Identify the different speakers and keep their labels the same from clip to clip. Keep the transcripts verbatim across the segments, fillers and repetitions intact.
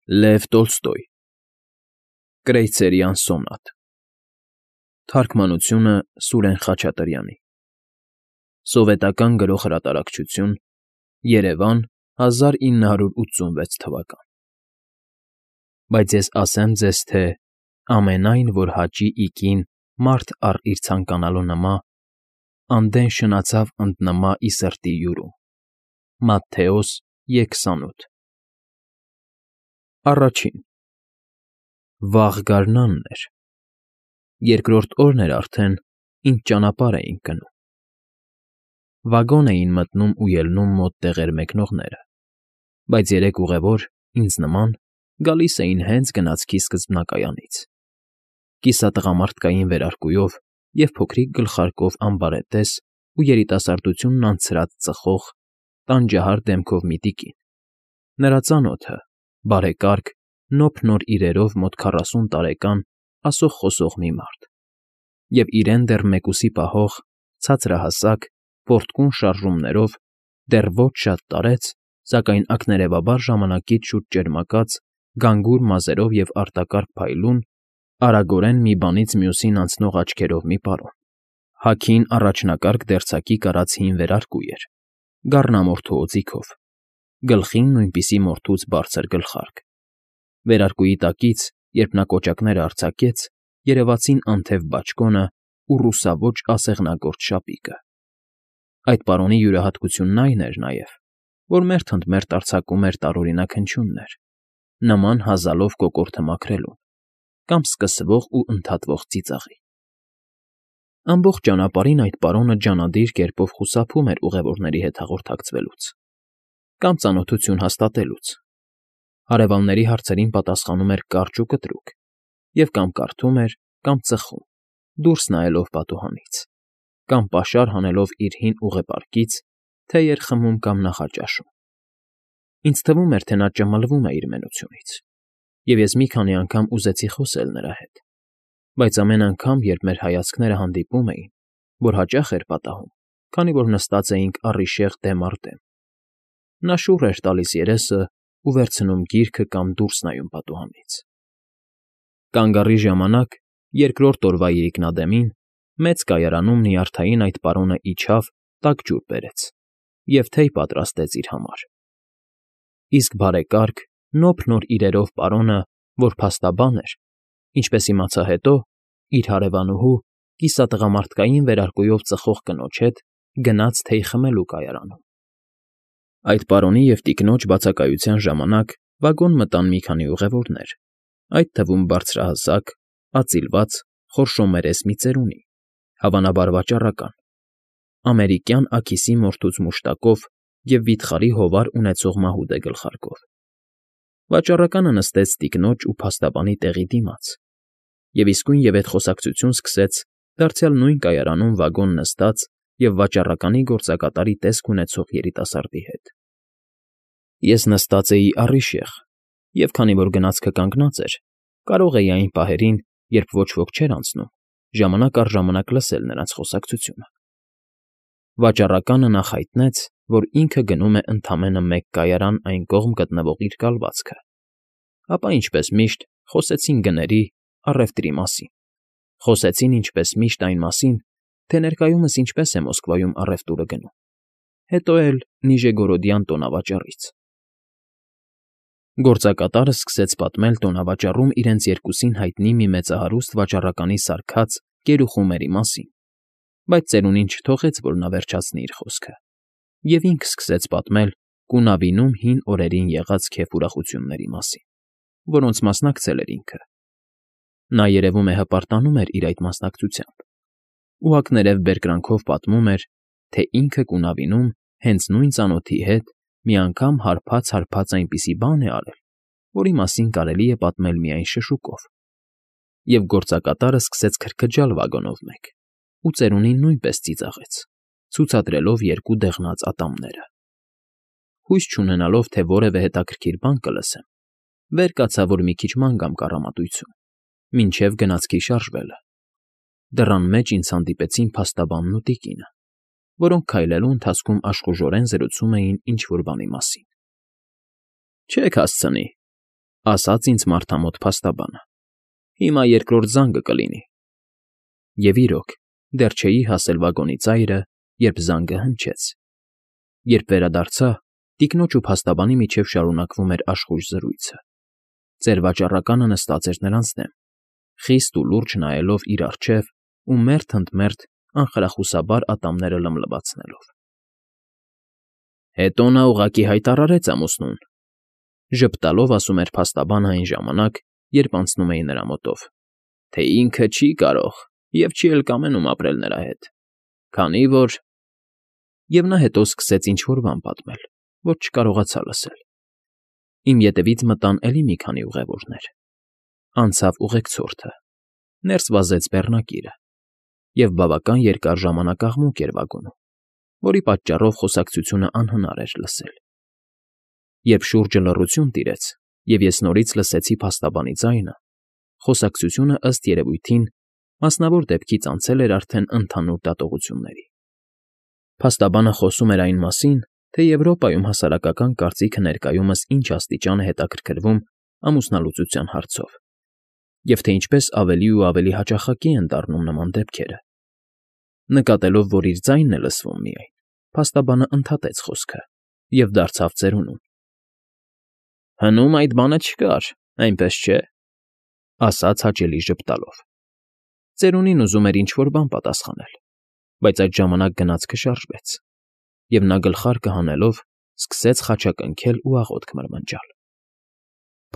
Speaker 1: Լև Տոլստոյ Կրեյսերյան սոնատ Թարգմանությունը Սուրեն Խաչատրյանի Սովետական Գրող֊հրատարակչություն Երևան հազար ինը հարյուր ութսունվեց թվական Բայց ես ասեմ ձեզ, թե ամենայն, որ հաճի իգին մարդ առ իր ցանկանալու նմա, անդեն շնացավ ընդ նմա ի սրտի յուրում։ Մատթեոս երկսանութ Առաջին Վաղ գարնանն էր։ Երկրորդ օրն էր արդեն, ինչ ճանապարհ էինք գնում։ Վագոն էին մտնում ու ելնում մոտ տեղեր մեկնողները, բայց երեք ուղևոր, ինձ նման, գալիս էին հենց գնացքի սկզբնակայանից։ Կիսատղամարդկային վերարկուով և փոքրիկ գլխարկով ամբարետես ու երիտասարդությունն անցրած ծխող, տանջահար դեմքով մի տիկին, նրա ծանոթը, բարեկարգ, նոփ֊նոր իրերով մոտ քառասուն տարեկան ասող֊խոսող մի մարդ, և իրեն դեռ մեկուսի պահող, ցածրահասակ, պոռթկուն շարժումներով, դեռ ոչ շատ տարեց, սակայն ակներևաբար ժամանակից շուտ ճերմակած, գանգուր մազերով և արտակարգ փայլուն, արագորեն մի բանից մյուսին անցնող աչքերով մի պարոն, հագին առաջնակարգ դերձակի կարած հին վերարկու էր, գառնամորթու օձիքով, գլխին նույնպիսի մորթուց բարձր գլխարկ, վերարկուի տակից, երբ նա կոճակները արձակեց, երևացին անթև բաճկոնը ու ռուսաոճ ասեղնագործ շապիկը։ Այդ պարոնի յուրահատկությունն այն էր նաև, որ մերթ ընդ մերթ արձակում էր տարօրինակ հնչյուններ, նման հազալով կոկորդը մաքրելուն, կամ սկսվող ու ընդհատվող ծիծաղի։ Ամբողջ ճանապարհին այդ պարոնը ջանադիր կերպով խուսափում էր ուղևորների հետ հաղորդակցվելուց կամ ծանոթություն հաստատելուց, հարևանների հարցերին պատասխանում էր կարճ ու կտրուկ և կամ կարդում էր, կամ ծխում, դուրս նայելով պատուհանից, կամ պաշար հանելով իր հին ուղեպարկից, թեյ էր խմում կամ նախաճաշում։ Ինձ թվում էր, թե նա ճմլվում է իր մենությունից, և ես մի քանի անգամ ուզեցի խոսել նրա հետ, բայց ամեն անգամ, երբ մեր հայացքները հանդիպում էին, որ հաճախ էր պատահում, քանի որ նստած էինք առիժեղ դեմ առ դեմ, նա շուռ էր տալիս երեսը ու վերցնում գիրքը կամ դուրս նայում պատուհանից։ Կանգ առի ժամանակ, երկրորդ օրվա իրիկնադեմին, մեծ կայարանում նյարդային այդ պարոնը իջավ, տաք ջուր բերեց և թեյ պատրաստեց իր համար։ Իսկ բարեկարգ, նոփ֊նոր իրերով պարոնը, որ փաստաբան էր, ինչպես իմացա հետո, իր հարևանուհու, կիսատղամարդկային վերարկուով ծխող կնոջ հետ գնաց թեյ խմելու կայարանում։ Այդ պարոնի և տիկնոջ բացակայության ժամանակ վագոն մտան մի քանի ուղևորներ, այդ թվում բարձրահասակ, ածիլված, խորշոմերես մի ծերունի, հավանաբար վաճառական, ամերիկյան աքիսի մորթուց մուշտակով և վիթխարի հովար ունեցող մահուդե գլխարկով։ Վաճառականը նստեց տիկնոջ ու փաստաբանի տեղի դիմաց և իսկույնևեթ խոսակցություն սկսեց դարձյալ նույն կայարանում վագոն նստած և վաճառականի գործակատարի տեսք ունեցող երիտասարդի հետ։ Ես նստած էի առիժեղ և, քանի որ գնացքը կանգնած էր, կարող էի այն պահերին, երբ ոչ ոք չէր անցնում, ժամանակ առ ժամանակ լսել նրանց խոսակցությունը։ Վաճառականը նախ հայտնեց, որ ինքը գնում է ընդամենը մեկ կայարան այն կողմ գտնվող իր կալվածքը, ապա, ինչպես միշտ, խոսեցին գների, առևտրի մասին, խոսեցին, ինչպես միշտ, այն մասին, թե ներկայումս ինչպես է Մոսկվայում առևտուրը գնում, հետո էլ Նիժեգորոդյան տոնավաճառից։ Գործակատարը սկսեց պատմել տոնավաճառում իրենց երկուսին հայտնի մի մեծահարուստ վաճառականի սարքած կերուխումերի մասին, բայց ծերունին չթողեց, որ նա վերջացնի իր խոսքը, և ինքը սկսեց պատմել Կունավինում հին օրերին եղած քեֆ ուրախությունների մասին, որոնց մասնակցել էր ինքը։ Նա, երևում է, հպարտանում էր իր այդ մասնակցությամբ, ուղղակներև բերկրանքով պատմում էր, թե ինքը Կունավինում հենց նույն ծանոթի հետ մի անգամ հարբած֊հարբած այնպիսի բան է արել, որի մասին կարելի է պատմել միայն շշուկով, և գործակատարը սկսեց քրքջալ վագոնով մեկ, ու ծերունին նույնպես ծիծաղեց, ցուցադրելով երկու դեղնած ատամները։ Հույս չունենալով, թե որևէ հետաքրքիր բան կլսեմ, վեր կացա, որ մի քիչ ման գամ կառամատույցում, մինչև գնացքի շարժվելը։ Դռան մեջ ինձ հանդիպեցին փաստաբանն ու տիկինը, որոնք քայլելու ընթացքում աշխուժորեն զրուցում էին ինչ֊որ բանի մասին։ ֊ Չեք հասցնի,֊ ասաց ինձ մարդամոտ փաստաբանը։ Հիմա երկրորդ զանգը կլինի։ Եվ իրոք, դեռ չէի հասել վագոնի ծայրը, երբ զանգը հնչեց։ Երբ վերադարձա, տիկնոջ ու փաստաբանի միջև շարունակվում էր աշխույժ զրույցը։ Ծեր վաճառականը նստած էր նրանց դեմ, խիստ ու լուրջ նայելով իր առջև ու մերթ ընդ մերթ անխրախուսաբար ատամները լմլվացնելով։ Հետո նա ուղղակի հայտարարեց ամուսնուն, ժպտալով ասում էր փաստաբանը այն ժամանակ, երբ անցնում էի նրա մոտով, թե ինքը չի կարող և չի էլ կամենում ապրել նրա հետ, քանի որ… Եվ նա հետո սկսեց ինչ֊որ բան պատմել, որ չկարողացա լսել։ Իմ ետևից մտան էլի մի քանի ուղևորներ։ Անցավ ուղեկցորդը, ներս վազեց բեռնակիրը, և բավական երկար ժամանակ աղմուկ էր վագոնում, որի պատճառով խոսակցությունը անհնար էր լսել։ Երբ շուրջը լռություն տիրեց, և ես նորից լսեցի փաստաբանի ձայնը, խոսակցությունը, ըստ երևույթին, մասնավոր դեպքից անցել էր արդեն ընդհանուր դատողությունների։ Փաստաբանը խոսում էր այն մասին, թե Եվրոպայում հասարակական կարծիքը ներկայումս ինչ աստիճան է հետաքրքրվում ամուսնալուծության հարցով, և թե ինչպես ավելի ու ավելի հաճախակի են դառնում նման դեպքերը։ Նկատելով, որ իր ձայնն է լսվում միայն, փաստաբանը ընդհատեց խոսքը և դարձավ ծերունուն. Հնում այդ բանը չկար, այնպես չէ, ասաց հաճելի ժպտալով։ Ծերունին ուզում էր ինչ֊որ բան պատասխանել, բայց այդ ժամանակ գնացքը շարժվեց, և նա գլխարկը հանելով սկսեց խաչակնքել ու աղոթք մրմնջալ։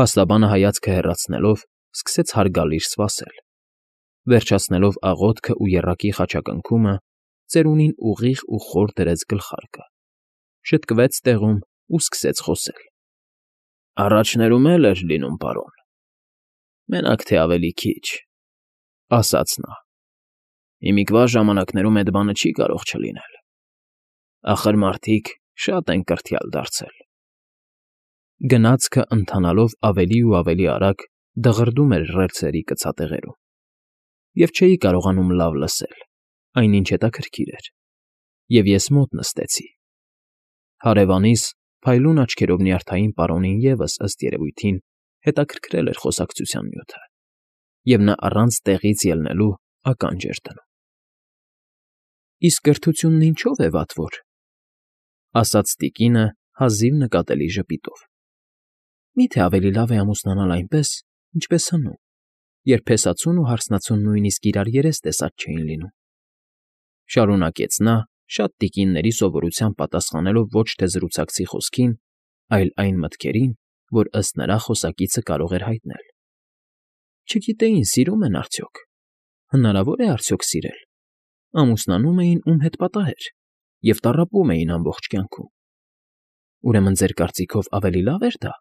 Speaker 1: Փաստաբանը հայացքը հեռացնելով սկսեց հարգալից սպասել։ Վերջացնելով աղոթքը ու եռակի խաչակնքումը, ծերունին ուղիղ ու խոր դրեց գլխարկը, շտկվեց տեղում ու սկսեց խոսել. Առաջներում էլ էր լինում, պարոն, մենակ թե ավելի քիչ, ասաց նա։ Հիմիկվա ժամանակներում էդ բանը չի կարող չլինել։ Ախր մարդիկ շատ են կրթյալ դարձել։ Գնացքը ընթանալով ավելի ու ավելի արագ դղրդում էր ռելսերի կցատեղերում, և չէի կարողանում լավ լսել, այնինչ հետաքրքիր էր, և ես մոտ նստեցի։ Հարևանիս փայլուն աչքերով նյարդային պարոնին ևս, ըստ երևույթին, հետաքրքրել էր խոսակցության նյութը, և նա առանց տեղից ելնելու ականջ էր դնում։ Իսկ կրթությունն ինչո՞վ է վատվոր, ասաց տիկինը հազիվ նկատելի ժպիտով։ Մի՞թե ավելի լավ է ամուսնանալ այնպես, ինչպես հնում, երբ փեսացուն ու հարսնացուն նույնիսկ իրար երես տեսած չէին լինում։ Շարունակեց նա, շատ տիկինների սովորությամբ պատասխանելով ոչ թե զրուցակցի խոսքին, այլ այն մտքերին, որ ըստ նրա խոսակիցը կարող էր հայտնել։ Չգիտեին սիրում են արդյոք, հնարավոր է արդյոք սիրել։ Ամուսնանում էին ում հետ պատահեր և տառապում էին ամբողջ կյանքում։ Ուրեմն ձեր կարծիքով ավելի լավ էր դա,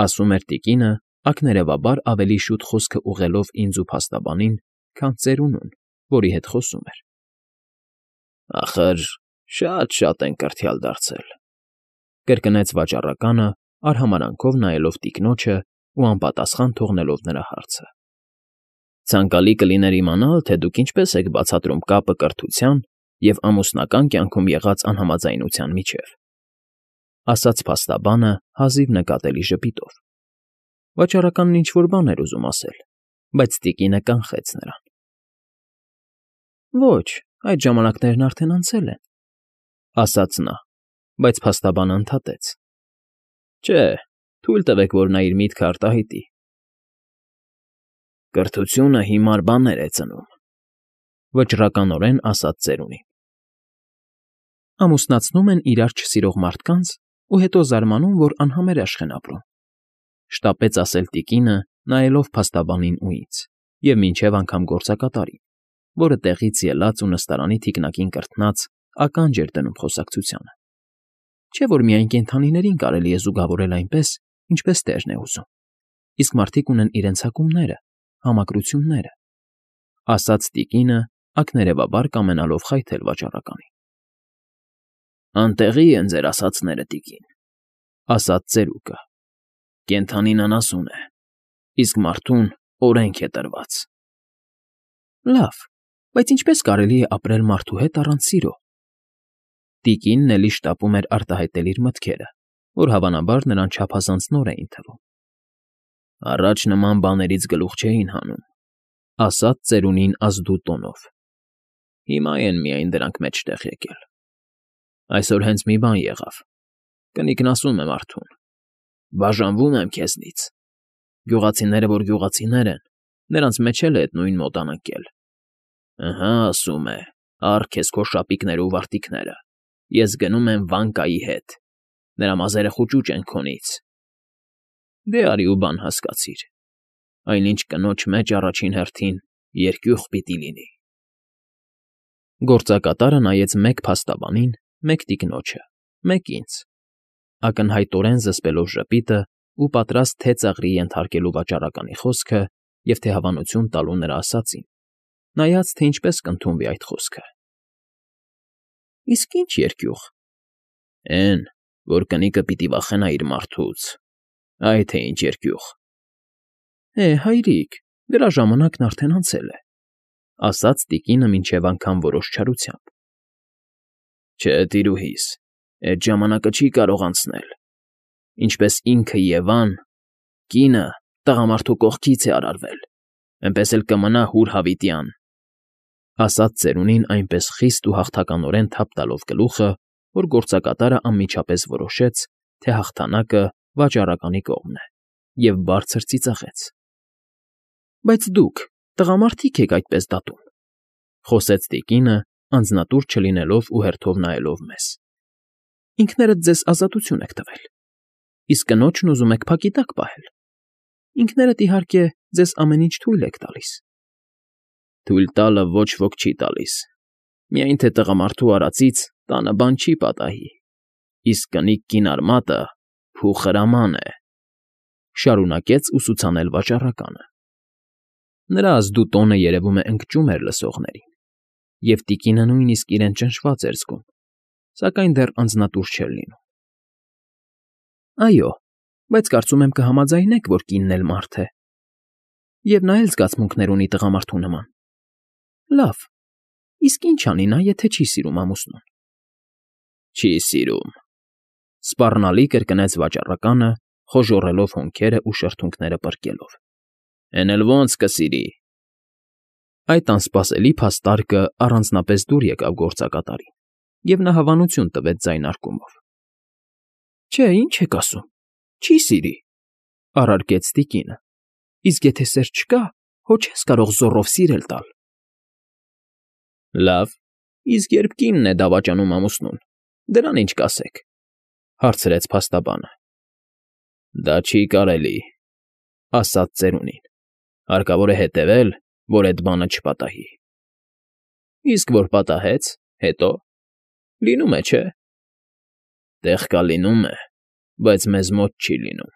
Speaker 1: ասում էր տիկինը, ակներևաբար ավելի շուտ խոսքը ուղղելով ինձ ու փաստաբանին, քան ծերունուն, որի հետ խոսում էր։ Ախր շատ֊շատ են կրթյալ դարձել, կրկնեց վաճառականը, արհամարհանքով նայելով տիկնոջը ու անպատասխան թողնելով նրա հարցը։ Ցանկալի կլիներ իմանալ, թե դուք ինչպես եք բացատրում կապը կրթության և ամուսնական կյանքում եղած անհամաձայնության միջև, ասաց փաստաբանը հազիվ նկատելի ժպիտով։ Վաճառականն ինչ֊որ բան էր ուզում ասել, բայց տիկինը կանխեց նրան։ Ոչ, այդ ժամանակներն արդեն անցել են, ասաց նա, բայց փաստաբանը ընդհատեց. Չէ, թույլ տվեք, որ նա իր միտքը արտահայտի։ Կրթությունը հիմար բաներ է ծնում, վճռականորեն ասաց ծերունին։ Ամուսնացնում են իրար չսիրող մարդկանց ու հետո զարմանում, որ անհամերաշխ են ապրում, շտապեց ասել տիկինը, նայելով փաստաբանին ու ինձ, և մինչև անգամ գործակատարին, որը տեղից ելած ու նստարանի թիկնակին կրթնած ականջ էր դնում խոսակցությանը։ Չէ՞ որ միայն կենդանիներին կարելի է զուգավորել այնպես, ինչպես տերն է ուզում, իսկ մարդիկ ունեն իրենց հակումները, համակրությունները, ասաց տիկինը, ակներևաբար կամենալով խայթել վաճառականին։ Անտեղի են ձեր ասածները, տիկին, ասաց ծերուկը։ Կենդանին անասուն է, իսկ մարդուն օրենք է տրված։ Լավ, բայց ինչպե՞ս կարելի է ապրել մարդու հետ առանց սիրո։ Տիկինն էլի շտապում էր արտահայտել իր մտքերը, որ հավանաբար նրան չափազանց նոր էին թվում, Առաջ նման բաներից գլուխ չէին հանում,֊ ասաց ծերունին ազդու տոնով։ Հիմա են միայն դրանք մեջտեղ եկել։ Այսօր հենց մի բան եղավ. կնիկն ասում է մարդուն. բաժանվում եմ քեզնից։ Գյուղացիները, որ գյուղացիներ են, նրանց մեջ էլ է այդ նույն մոտան ընկել։ Ըհը, ասում է, առ քեզ քո շապիկները ու վարտիքները, ես գնում եմ Վանկայի հետ, նրա մազերը խուճուճ են քոնից։ Դե արի ու բան հասկացիր, այնինչ կնոջ մեջ առաջին հերթին երկյուղ պիտի լինի։ Գործակատարը նայեց մեկ փաստաբանին, մեկ տիկնոջը, մեկ ինձ, ակնհայտորեն զսպելով ժպիտը ու պատրաստ թե ծաղրի ենթարկելու վաճառականի խոսքը և թե հավանություն տալու նրա ասածին, նայած, թե ինչպես կընդունվի այդ խոսքը։ Իսկ ի՞նչ երկյուղ։ Էն, որ կնիկը պիտի վախենա իր մարդուց, այ թե ինչ երկյուղ։ Է, հայրիկ, դրա ժամանակն արդեն անցել է, ասաց տիկինը մինչև անգամ որոշ չարությամբ։ Չէ, տիրուհիս, էդ ժամանակը չի կարող անցնել, ինչպես ինքը Եվան, կինը տղամարդու կողքից է արարվել, էնպես էլ կմնա հուր հավիտյան, ասաց ծերունին այնպես խիստ ու հաղթականորեն թափ տալով գլուխը, որ գործակատարը անմիջապես որոշեց, թե հաղթանակը վաճառականի կողմն է, և բարձր ծիծաղեց։ Բայց դուք, տղամարդիկ եք այդպես դատում, խոսեց տիկինը, անձնատուր չլինելով ու հերթով նայելով մեզ։ Ինքներդ ձեզ ազատություն եք տվել, իսկ կնոջն ուզում եք փակի տակ պահել։ Ինքներդ, իհարկե, ձեզ ամեն ինչ թույլ եք տալիս։ Թույլ տալը ոչ ոք չի տալիս, միայն թե տղամարդու արածից տանը բան չի պատահի, իսկ կնիկ կին արմատը փուխրաման է,֊ շարունակեց ուսուցանել վաճառականը։ Նրա ազդու տոնը երևում է ընկճում էր լսողներին, և տիկինը նույնիսկ իրեն ճնշված էր զգում, սակայն դեռ անձնատուր չէր լինում։ Այո, բայց կարծում եմ կհամաձայնեք, որ կինն էլ մարդ է, և նա էլ զգացմունքներ ունի տղամարդու նման։ Լավ, իսկ ի՞նչ անի նա, եթե չի սիրում ամուսնուն։ Չի սիրում,֊ սպառնալի կրկնեց վաճառականը, խոժոռելով հոնքերը ու շրթունքները պրկելով։ Էն էլ ո՞նց կսիրի։ Այդ անսպասելի փաստարկը առանձնապես դուր եկավ գործակատարին, և նա հավանություն տվեց ձայնարկումով։ Չէ, ի՞նչ եք ասում, չի սիրի,֊ առարկեց տիկինը, իսկ եթե սեր չկա, հո չես կարող զոռով սիրել տալ։ Լավ, իսկ երբ կինն է դավաճանում ամուսնուն, դրան ինչ կասեք,֊ հարցրեց փաստաբանը։ Դա չի կարելի,֊ ասաց ծերունին, հարկավոր է հետևել, որ էդ բանը չպատահի։ Իսկ որ պատահեց, հետո, լինում է, չէ։ Տեղ կա լինում է, բայց մեզ մոտ չի լինում,֊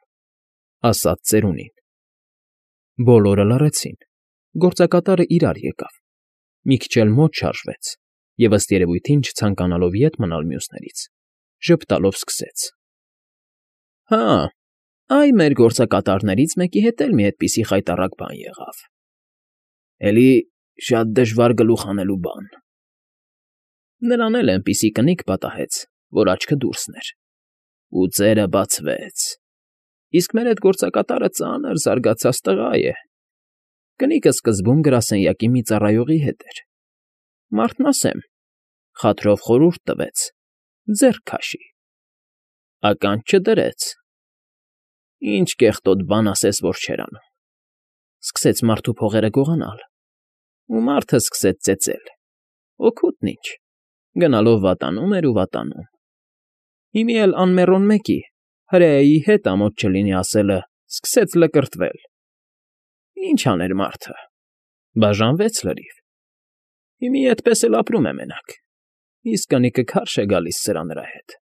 Speaker 1: ասաց ծերունին։ Բոլորը լռեցին, գործակատարը իրար եկավ, մի քիչ էլ մոտ շարժվեց և, ըստ երևույթին չցանկանալով ետ մնալ մյուսներից, ժպտալով սկսեց. Հա, այ մեր գործակատարներից մեկի հետ էլ մի այդպիսի խայտառակ բան եղավ, էլի շատ դժվար գլուխ հանելու բան։ Նրան էլ էնպիսի կնիկ պատահեց, որ աչքը դուրսն էր, ու ծերը բացվեց, իսկ մեր էդ գործակատարը ծանր զարգացած տղա է։ Կնիկը սկզբում գրասենյակի մի ծառայողի հետ էր, մարդն ասեմ, խաթրով խորհուրդ տվեց, ձեռք քաշի, ականջ չդրեց, ինչ կեղտոտ բան ասես, որ չէր անում, սկսեց մարդու փողերը գողանալ, ու մարդը սկսեց ծեծել, օգուտն ինչ, գնալով վատանում էր ու վատանում։ Հիմի էլ անմեռոն մեկի, հրեայի հետ ամոթ չլինի ասելը, սկսեց լկրտվել։ Ինչ աներ մարդը, բաժանվեց լրիվ։ Հիմի էդպես էլ ապրում է մենակ, իսկ կնիկը քարշ է գալիս սրա նրա հետ։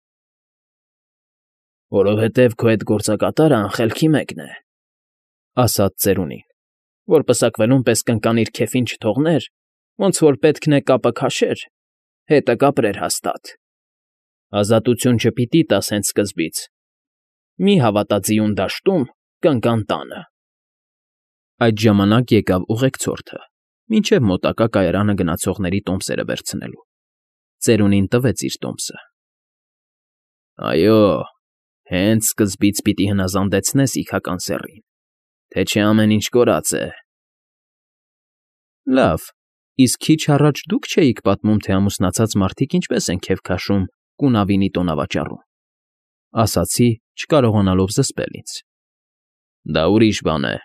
Speaker 1: Որովհետև քո այդ գործակատարը անխելքի մեկն է,֊ ասաց ծերունին, որ պսակվելուն պես կնկանիր քեֆին չթողներ, ոնց որ պետքն է կապը քաշեր, հետը կապրեր հաստատ։ Ազատություն չպիտի տաս հենց սկզբից, մի հավատա ձիուն դաշտում, կնկան տանը։ Այդ ժամանակ եկավ ուղեկցորդը, մինչև մոտակա կայարանը գնացողների տոմսերը վերցնելու։ Ծերունին տվեց իր տոմսը։ Այո, հենց սկզբից պիտի հնազանդեցնես իգական սեռին, թե չէ ամեն ինչ կորած է։ Լավ, իսկ քիչ առաջ դուք չէիք պատմում, թե ամուսնացած մարդիկ ինչպես են քեֆ քաշում կունավինի տոնավաճառում,֊ ասացի, չկարողանալով զսպել ինձ։ Դա ուրիշ բան է,֊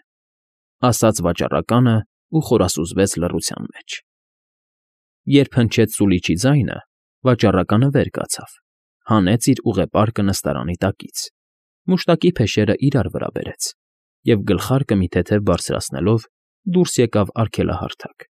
Speaker 1: ասաց վաճառականն ու խորասուզվեց լռության մեջ։ Երբ հնչեց սուլիչի ձայնը, վաճառականը վեր կացավ, հանեց իր ուղեպարկը նստարանի տակից, մուշտակի փեշերն իրար վրա բերեց և գլխարկը մի թեթև բարձրացնելով դուրս եկավ արգելահարդակ։